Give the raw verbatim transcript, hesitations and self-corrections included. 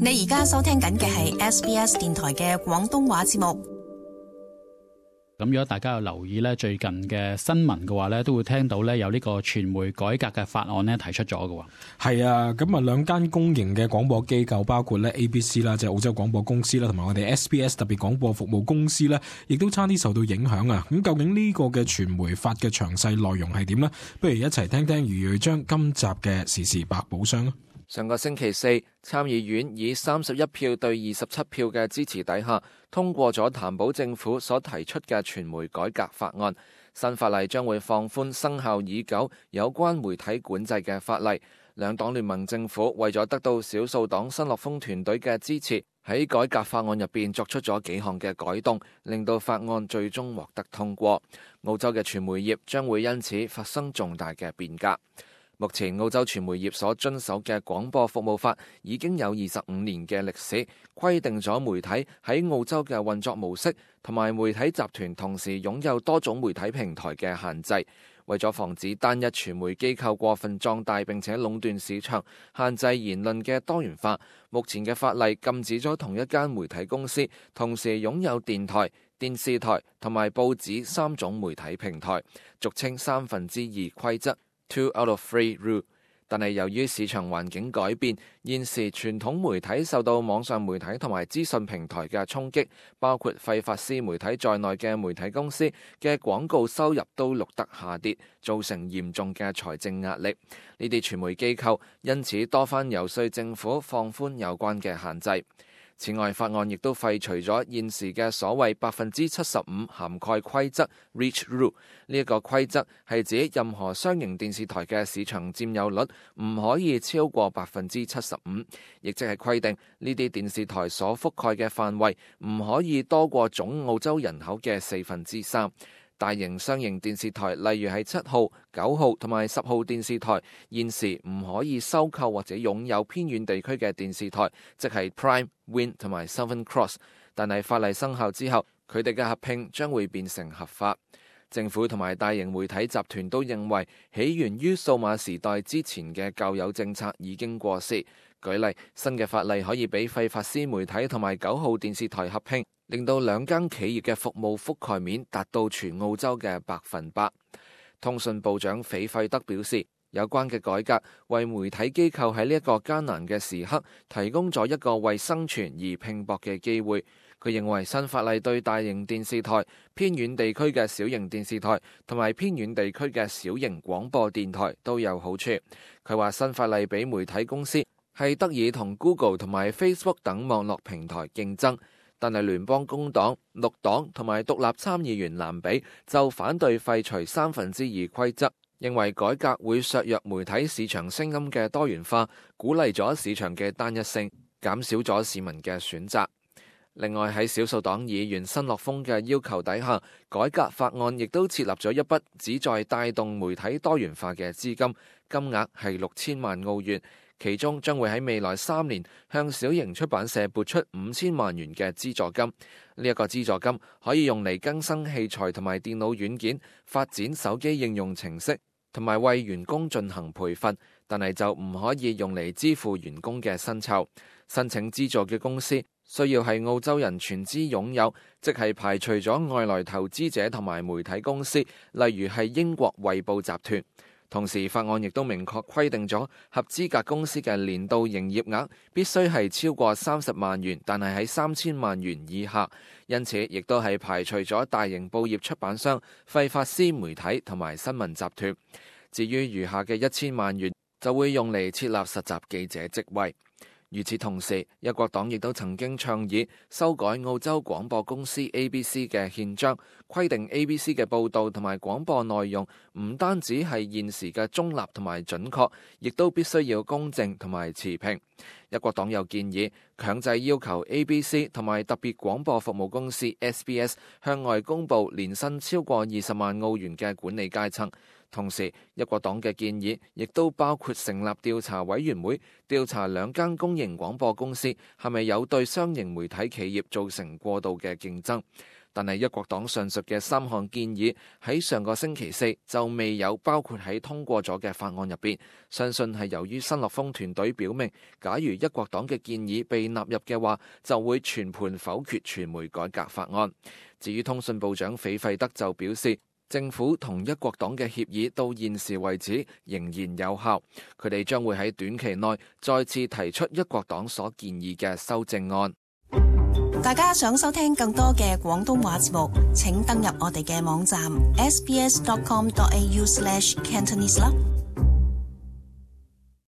你而家收聽緊嘅係 S B S 電台嘅廣東話節目。咁如果大家有留意咧最近嘅新聞嘅話咧，都會聽到咧有呢個傳媒改革嘅法案咧提出咗嘅。係啊，咁啊兩間公營嘅廣播機構，包括咧 A B C 啦，即係澳洲廣播公司啦，同埋我哋 S B S 特別廣播服務公司咧，亦都差啲受到影響啊。咁究竟呢個嘅傳媒法嘅詳細內容係點呢？不如一齊聽聽余瑞章今集嘅時事百寶箱。上個星期四，參議院以三十一票對二十七票嘅支持底下，通過咗譚寶政府所提出嘅傳媒改革法案。新法例將會放寬生效已久有關媒體管制嘅法例。兩黨聯盟政府為咗得到少數黨新樂豐團隊嘅支持，喺改革法案入邊作出咗幾項嘅改動，令到法案最終獲得通過。澳洲嘅傳媒業將會因此發生重大嘅變革。目前澳洲傳媒業所遵守嘅廣播服務法已經有二十五年嘅歷史，規定咗媒體喺澳洲嘅運作模式同埋媒體集團同時擁有多種媒體平台嘅限制。為咗防止單一傳媒機構過分壯大並且壟斷市場，限制言論嘅多元化，目前嘅法例禁止咗同一間媒體公司同時擁有電台、電視台同埋報紙三種媒體平台，俗稱三分之二規則。Two out of three rule， 但係由於市場環境改變，現時傳統媒體受到網上媒體同埋資訊平台嘅衝擊，包括費法斯媒體在內嘅媒體公司嘅廣告收入都錄得下跌，造成嚴重嘅財政壓力。呢啲傳媒機構因此多番遊說政府放寬有關嘅限制。此外，法案亦都廢除咗現時嘅所謂百分之七十五涵蓋規則 （Reach Rule）。呢一個規則係指任何商營電視台嘅市場佔有率唔可以超過百分之七十五，亦即係規定呢啲電視台所覆蓋嘅範圍唔可以多過總澳洲人口嘅四分之三。大型商營電視台，例如係七號、九號同埋十號電視台，現時唔可以收購或者擁有偏遠地區嘅電視台，即係 Prime、Win 同埋 Southern Cross。但係法例生效之後，佢哋嘅合併將會變成合法。政府同埋大型媒體集團都認為，起源於數碼時代之前嘅舊有政策已經過時。舉例，新嘅法例可以俾費法斯媒體同埋九號電視台合併，令到兩間企業嘅服務覆蓋面達到全澳洲嘅百分百。通訊部長斐費德表示，有關嘅改革為媒體機構喺呢一個艱難嘅時刻提供咗一個為生存而拼搏嘅機會。佢認為新法例對大型電視台、偏遠地區嘅小型電視台同埋偏遠地區嘅小型廣播電台都有好處。佢話新法例俾媒體公司係得以同 Google 同埋 Facebook 等網絡平台競爭，但係聯邦工黨、綠黨同埋獨立參議員蘭比就反對廢除三分之二規則，認為改革會削弱媒體市場聲音嘅多元化，鼓勵咗市場嘅單一性，減少咗市民嘅選擇。另外喺少數黨議員新樂豐嘅要求底下，改革法案亦都設立咗一筆旨在帶動媒體多元化嘅資金，金額係六千萬澳元，其中將會喺未來三年向小型出版社撥出五千萬元嘅資助金。呢一個資助金可以用嚟更新器材同埋電腦軟件，發展手機應用程式，同埋為員工進行培訓，但係就唔可以用嚟支付員工嘅薪酬。申請資助嘅公司需要係澳洲人全資擁有，即係排除咗外來投資者同埋媒體公司，例如係英國衛報集團。同時，法案亦都明確規定咗合資格公司嘅年度營業額必須係超過三十萬元，但係喺三千萬元以下。因此，亦都係排除咗大型報業出版商、費法斯媒體同埋新聞集團。至於餘下嘅一千萬元，就會用嚟設立實習記者職位。與此同時，一國黨亦都曾經倡議修改澳洲廣播公司 A B C 嘅憲章，規定 A B C 嘅報導同埋廣播內容唔單止係現時嘅中立同埋準確，亦都必須要公正同埋持平。一國黨又建議強制要求 A B C 同埋特別廣播服務公司 S B S 向外公佈年薪超過二十萬澳元嘅管理階層。同時，一國黨嘅建議亦都包括成立調查委員會，調查兩間公營廣播公司係咪有對商營媒體企業造成過度嘅競爭。但係一國黨上述嘅三項建議喺上個星期四就未有包括喺通過咗嘅法案入邊，相信係由於新樂峰團隊表明，假如一國黨嘅建議被納入嘅話，就會全盤否決傳媒改革法案。至於通訊部長斐費德就表示，政府同一國黨嘅協議到現時為止仍然有效，佢哋將會喺短期內再次提出一國黨所建議嘅修正案。大家想收聽更多嘅廣東話節目，請登入我哋嘅網站 s b s dot com dot a u slash cantonese 啦。